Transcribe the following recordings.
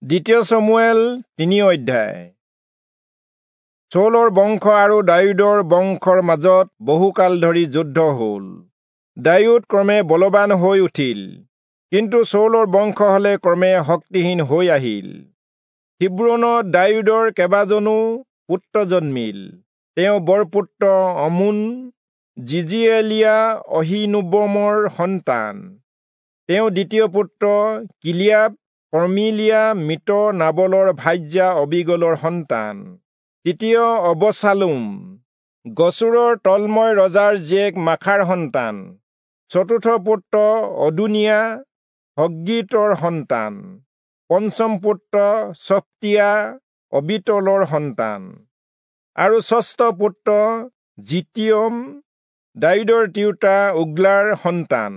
দ্বিতীয় চমূৱেল 3 অধ্যায়। চৌলৰ বংশ আৰু দায়ূদৰ বংশৰ মাজত বহুকাল ধৰি যুদ্ধ হ'ল। দায়ূদ ক্ৰমে বলৱান হৈ উঠিল, কিন্তু চৌলৰ বংশ হলে ক্ৰমে শক্তিহীন হৈ আহিল। হিব্ৰোনত দায়ূদৰ কেইবাজনো পুত্ৰ জন্মিল। তেওঁ বৰপুত্ৰ অমোন জিজিএলীয়া অহীনোৱমৰ সন্তান। তেওঁ দ্বিতীয় পুত্ৰ কিলিয়াব কৰ্মিলীয়া মৃত নাবলৰ ভাৰ্যা অবীগলৰ সন্তান। তৃতীয় অবচালোম গচুৰৰ তলময় ৰজাৰ জীয়েক মাখাৰ সন্তান। চতুৰ্থ পুত্ৰ অদোনিয়া হগ্গীতৰ সন্তান। পঞ্চম পুত্ৰ চফটীয়া অবীতলৰ সন্তান। আৰু ষষ্ঠ পুত্ৰ জিতিয়ম দায়ূদৰ তিৰোতা ওগ্লাৰ সন্তান।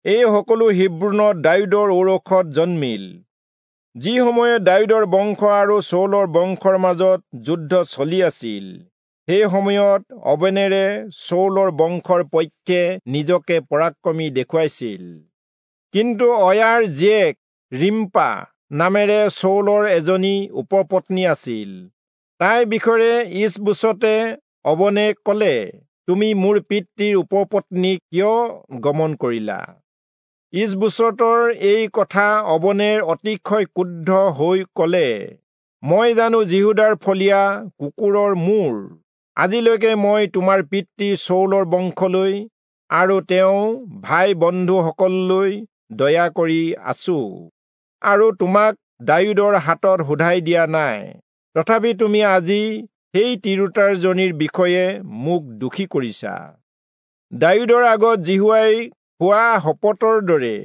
এই সকলো হিব্ৰোনত দায়ূদৰ ঔৰসত জন্মিল। যি সময়ত দায়ূদৰ বংশ আৰু চৌলৰ বংশৰ মাজত যুদ্ধ চলি আছিল, সেই সময়ত অবনেৰে চৌলৰ বংশৰ পক্ষে নিজকে পৰাক্ৰমী দেখুৱাইছিল। কিন্তু অয়াৰ জীয়েক ৰিম্পা নামেৰে চৌলৰ এজনী উপপত্নী আছিল। তাইৰ বিষয়ে ঈচবোচতে অবনেৰক কলে, তুমি মোৰ পিতৃৰ উপপত্নীক কিয় গমন কৰিলা? ঈচবোচতৰ এই কথা অবনেৰ অতিশয় ক্ৰুদ্ধ হৈ কলে, মই জানো যিহূদাৰ ফলীয়া কুকুৰৰ মূৰ? আজিলৈকে মই তোমাৰ পিতৃ চৌলৰ বংশলৈ আৰু তেওঁ ভাই বন্ধুসকললৈ দয়া কৰি আছো, আৰু তোমাক দায়ূদৰ হাতত শোধাই দিয়া নাই। তথাপি তুমি আজি সেই তিৰোতাজনীৰ বিষয়ে মোক দোষী কৰিছা। দায়ূদৰ আগত যিহোৱাই খোৱা শপতৰ দৰে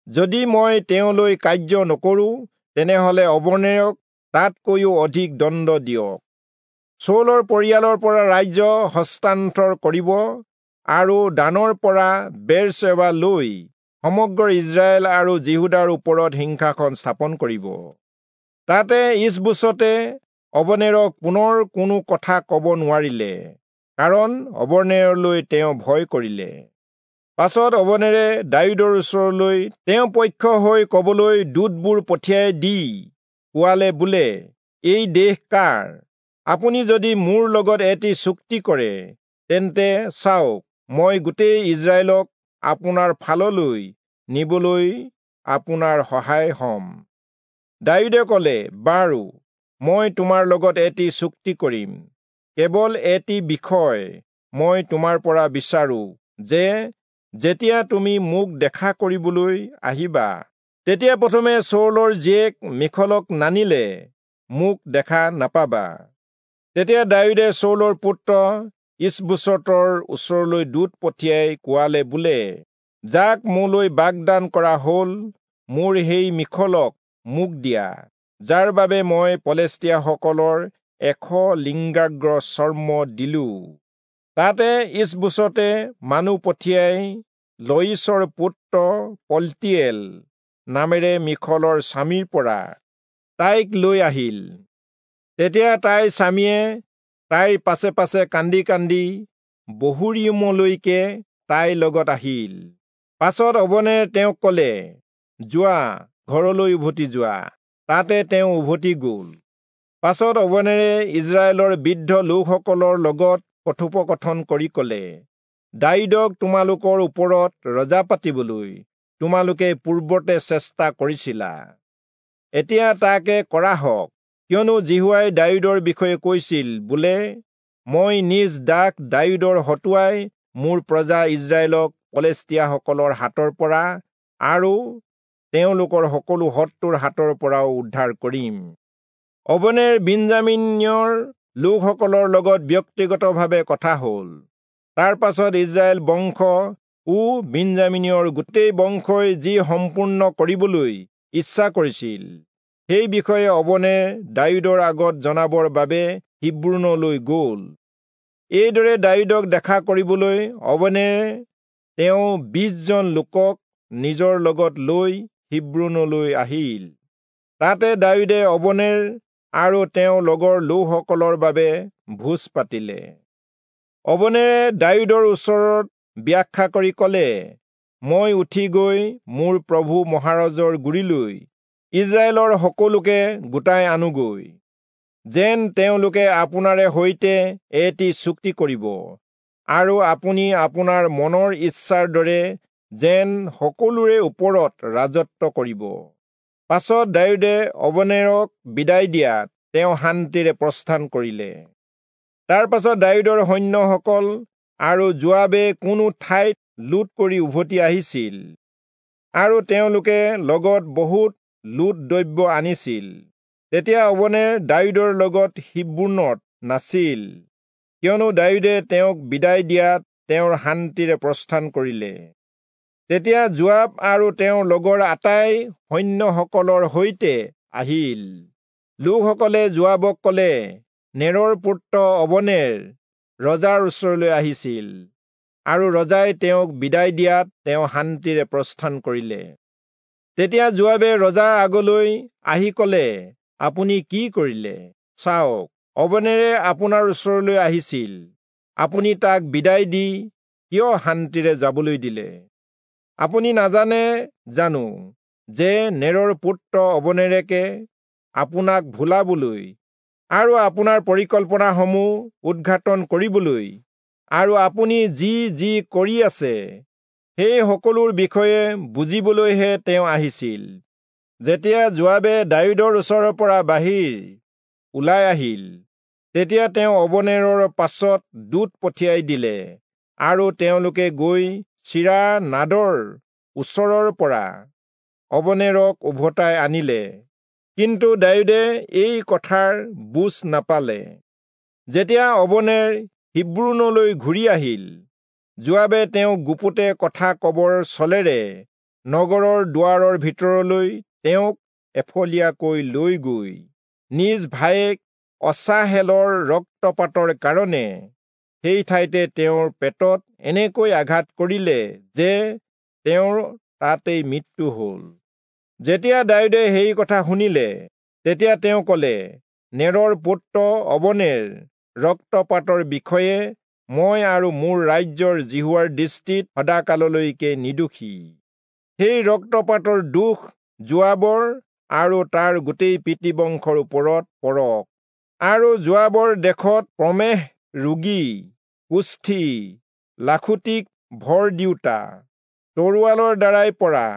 যদি মই তেওঁলৈ কাৰ্য নকৰোঁ, তেনেহলে অবনেৰক তাতকৈও অধিক দণ্ড দিয়ক। চৌলৰ পৰিয়ালৰ পৰা ৰাজ্য হস্তান্তৰ কৰিব আৰু দানৰ পৰা বেৰচেবা লৈ সমগ্ৰ ইজৰাইল আৰু যিহূদাৰ ওপৰত সিংহাসন স্থাপন কৰিব। তাতে ঈচবোচতে অবনেৰক পুনৰ কোনো কথা কব নোৱাৰিলে, কাৰণ অবনেৰলৈ তেওঁ ভয় কৰিলে। পাছত অবনেৰে দায়ূদৰ ওচৰলৈ তেওঁ পক্ষ হৈ কবলৈ দূতবোৰ পঠিয়াই দি কোৱালে বোলে, এই দেশ কাৰ? আপুনি যদি মোৰ লগত এটি চুক্তি কৰে, তেন্তে চাওক, মই গোটেই ইজৰাইলক আপোনাৰ ফাললৈ নিবলৈ আপোনাৰ সহায় হ'ম। দায়ূদে কলে, বাৰু, মই তোমাৰ লগত এটি চুক্তি কৰিম। কেৱল এটি বিষয় মই তোমাৰ পৰা বিচাৰো, যে যেতিয়া তুমি মোক দেখা কৰিবলৈ আহিবা, তেতিয়া প্ৰথমে চৌলৰ জীয়েক মীখলক নানিলে মোক দেখা নাপাবা। তেতিয়া দায়ূদে চৌলৰ পুত্ৰ ঈচবোচতৰ ওচৰলৈ দূত পঠিয়াই কোৱালে বোলে, যাক মোলৈ বাগদান কৰা হ'ল, মোৰ সেই মীখলক মোক দিয়া, যাৰ বাবে মই পলেষ্টীয়াসকলৰ 100 লিংগাগ্ৰ চৰ্ম দিলো। তাতে ঈচবোচতে মানুহ পঠিয়াই লয়ীচৰ পুত্ৰ পল্টিয়েল নামেৰে মীখলৰ স্বামীৰ পৰা তাইক লৈ আহিল। তেতিয়া তাইৰ স্বামীয়ে তাইৰ পাছে পাছে কান্দি কান্দি বহূৰীমলৈকে তাইৰ লগত আহিল। পাছত অবনেৰে তেওঁক কলে, যোৱা, ঘৰলৈ উভতি যোৱা। তাতে তেওঁ উভতি গল। পাছত অবনেৰে ইজৰাইলৰ বৃদ্ধ লোকসকলৰ লগত কথোপকথন কৰি কলে, দায়ূদক তোমালোকৰ ওপৰত ৰজা পাতিবলৈ তোমালোকে পূৰ্বতে চেষ্টা কৰিছিলা, এতিয়া তাকে কৰা হওক। কিয়নো যিহোৱাই দায়ূদৰ বিষয়ে কৈছিল বোলে, মই নিজ দাস দায়ূদৰ হতুৱাই মোৰ প্ৰজা ইজৰাইলক পলেষ্টীয়াসকলৰ হাতৰ পৰা আৰু তেওঁলোকৰ সকলো শত্ৰুৰ হাতৰ পৰাও উদ্ধাৰ কৰিম। অবনেৰ বিন্যামীনৰ লোকসকলৰ লগত ব্যক্তিগতভাৱে কথা হ'ল। তাৰ পাছত ইজৰাইল বংশ ও বিন্যামীনৰ গোটেই বংশই যি সম্পূৰ্ণ কৰিবলৈ ইচ্ছা কৰিছিল, সেই বিষয়ে অবনেৰ দায়ূদৰ আগত জনাবৰ বাবে হিব্ৰোনলৈ গ'ল। এইদৰে দায়ূদক দেখা কৰিবলৈ অবনেৰে তেওঁ 20 জন লোকক নিজৰ লগত লৈ হিব্ৰোনলৈ আহিল। তাতে দায়ূদে অবনেৰ আৰু তেওঁ লগৰ লোকসকলৰ বাবে ভোজ পাতিলে। অবনেৰে দায়ূদৰ ওচৰত ব্যাখ্যা কৰি কলে, মই উঠি গৈ মোৰ প্ৰভু মহাৰাজৰ গুৰিলৈ ইজৰাইলৰ সকলোকে গোটাই আনোগৈ, যেন তেওঁলোকে আপোনাৰে সৈতে এটি চুক্তি কৰিব, আৰু আপুনি আপোনাৰ মনৰ ইচ্ছাৰ দৰে যেন সকলোৰে ওপৰত ৰাজত্ব কৰিব। পাছত দায়ূদে অবনেৰক বিদায় দিয়াত তেওঁ শান্তিৰে প্ৰস্থান কৰিলে। তাৰ পাছত দায়ূদৰ সৈন্যসকল আৰু যোৱাবে কোনো ঠাইত লুট কৰি উভতি আহিছিল, আৰু তেওঁলোকে লগত বহুত লুট দ্ৰব্য আনিছিল। তেতিয়া অবনেৰ দায়ূদৰ লগত হিব্ৰোনত নাছিল, কিয়নো দায়ূদে তেওঁক বিদায় দিয়াত তেওঁৰ শান্তিৰে প্ৰস্থান কৰিলে। তেতিয়া যোৱাব আৰু তেওঁৰ লগৰ আটাই সৈন্যসকলৰ সৈতে আহিল। লোকসকলে যোৱাবক কলে, নেৰৰ পুত্ৰ অবনেৰ ৰজাৰ ওচৰলৈ আহিছিল, আৰু ৰজাই তেওঁক বিদায় দিয়াত তেওঁ শান্তিৰে প্ৰস্থান কৰিলে। তেতিয়া যোৱাবে ৰজাৰ আগলৈ আহি কলে, আপুনি কি কৰিলে? চাওক, অবনেৰে আপোনাৰ ওচৰলৈ আহিছিল, আপুনি তাক বিদায় দি কিয় শান্তিৰে যাবলৈ দিলে? আপুনি নাজানে জানো যে নেৰৰ পুত্ৰ অবনেৰেকে আপোনাক ভুলাবলৈ আৰু আপোনাৰ পৰিকল্পনাসমূহ উদ্ঘাটন কৰিবলৈ আৰু আপুনি যি যি কৰি আছে সেই সকলোৰ বিষয়ে বুজিবলৈহে তেওঁ আহিছিল। যেতিয়া যোৱাবে দায়ূদৰ ওচৰৰ পৰা বাহিৰ ওলাই আহিল, তেতিয়া তেওঁ অবনেৰৰ পাছত দূত পঠিয়াই দিলে, আৰু তেওঁলোকে গৈ চিৰা নাদৰ ওচৰৰ পৰা অবনেৰক উভতাই আনিলে। কিন্তু দায়ূদে এই কথাৰ বুজ নাপালে। যেতিয়া অবনেৰ হিব্ৰোনলৈ ঘূৰি আহিল, যোৱাবে তেওঁক গুপুতে কথা কবৰ চলেৰে নগৰৰ দুৱাৰৰ ভিতৰলৈ তেওঁক এফলীয়াকৈ লৈ গৈ নিজ ভায়েক অচাহেলৰ ৰক্তপাতৰ কাৰণে সেই ঠাইতে তেওঁৰ পেটত এনেকৈ আঘাত কৰিলে যে তেওঁৰ তাতেই মৃত্যু হ'ল। যেতিয়া দায়ূদে সেই কথা শুনিলে, তেতিয়া তেওঁ কলে, নেৰৰ পুত্ৰ অবনেৰ ৰক্তপাতৰ বিষয়ে মই আৰু মোৰ ৰাজ্যৰ যিহোৱাৰ দৃষ্টিত সদাকাললৈকে নিৰ্দোষী। সেই ৰক্তপাতৰ দোষ যোৱাবৰ আৰু তাৰ গোটেই পিতৃবংশৰ ওপৰত পৰক, আৰু যোৱাবৰ দেশত প্ৰমেহ ৰোগী, কুষ্ঠী, লাখুটিক ভৰ দিওঁতা, তৰোৱালৰ দ্বাৰাই পৰা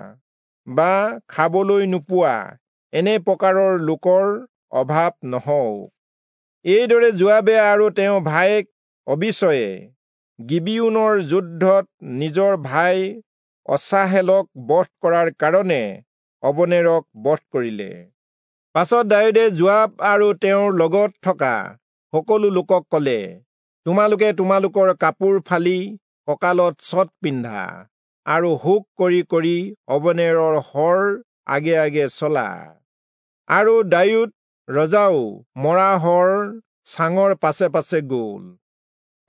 বা খাবলৈ নোপোৱা এনে প্ৰকাৰৰ লোকৰ অভাৱ নহওক। এইদৰে যোৱাবে আৰু তেওঁ ভায়েক অবিচয়ে গিবিয়োনৰ যুদ্ধত নিজৰ ভাই অচাহেলক বধ কৰাৰ কাৰণে অবনেৰক বধ কৰিলে। পাছত দায়ূদে যোৱাব আৰু তেওঁৰ লগত থকা সকলো লোকক কলে, তোমালোকে তোমালোকৰ কাপোৰ ফালি কঁকালত চট পিন্ধা আৰু শোক কৰি কৰি অবনেৰৰ শৰ আগে আগে চলা। আৰু দায়ূদ ৰজাও মৰা শৰ চাঙৰ পাছে পাছে গ'ল।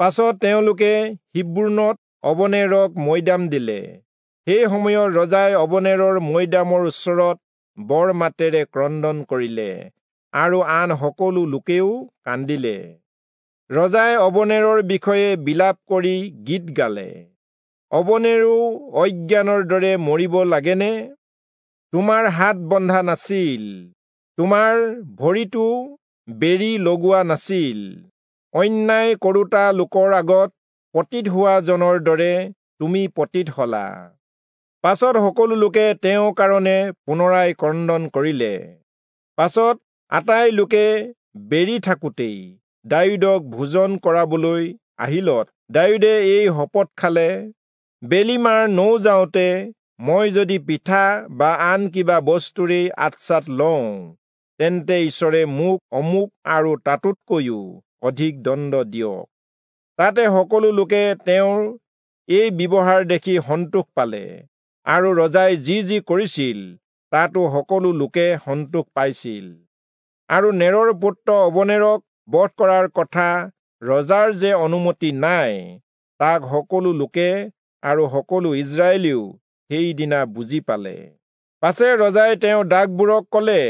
পাছত তেওঁলোকে হিব্ৰোনত অবনেৰক মৈদাম দিলে। সেই সময়ত ৰজাই অবনেৰৰ মৈদামৰ ওচৰত বৰ মাতেৰে ক্ৰন্দন কৰিলে, আৰু আন সকলো লোকেও কান্দিলে। ৰজাই অবনেৰৰ বিষয়ে বিলাপ কৰি গীত গালে, অবনেৰো অজ্ঞানৰ দৰে মৰিব লাগেনে? তোমাৰ হাত বন্ধা নাছিল, তোমাৰ ভৰিটো বেৰি লগোৱা নাছিল। অন্যায় কৰোতা লোকৰ আগত পতিত হোৱা জনৰ দৰে তুমি পতিত হলা। পাছত সকলো লোকে তেওঁৰ কাৰণে পুনৰাই ক্ৰন্দন কৰিলে। পাছত আটাই লোকে বেৰি থাকোঁতেই দায়ূদক ভোজন কৰাবলৈ আহিলত দায়ূদে এই শপত খালে, বেলি মাৰ নৌ যাওঁতে মই যদি পিঠা বা আন কিবা বস্তুৰেই আঠচাত লওঁ, তেন্তে ঈশ্বৰে মোক অমুক আৰু তাতোতকৈও অধিক দণ্ড দিয়ক। তাতে সকলো লোকে তেওঁৰ এই ব্যৱহাৰ দেখি সন্তোষ পালে, আৰু ৰজাই যি যি কৰিছিল তাতো সকলো লোকে সন্তোষ পাইছিল। আৰু নেৰৰ পুত্ৰ অবনেৰক বধ কৰাৰ কথা ৰজাৰ যে অনুমতি নাই, তাক সকলো লোকে আৰু সকলো ইজৰাইলেও সেইদিনা বুজি পালে। পাছে ৰজাই তেওঁ দাসবোৰক কলে,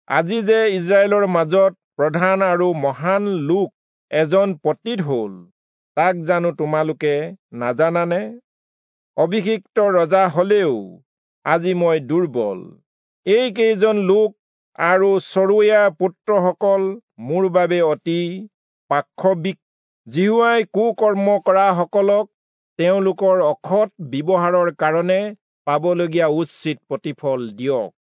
আজি যে ইজৰাইলৰ মাজত প্ৰধান আৰু মহান লোক এজন পতিত হল, তাক জানো তোমালোকে নাজানানে? অভিষিক্ত ৰজা হলেও আজি মই দুৰ্বল। এইকেইজন লোক আৰু চৰূয়াৰ পুত্ৰসকল মোৰ বাবে অতি পাশৱিক। যিহোৱাই কুকৰ্ম কৰাসকলক তেওঁলোকৰ অসৎ ব্যৱহাৰৰ কাৰণে পাবলগীয়া উচিত প্ৰতিফল দিয়ক।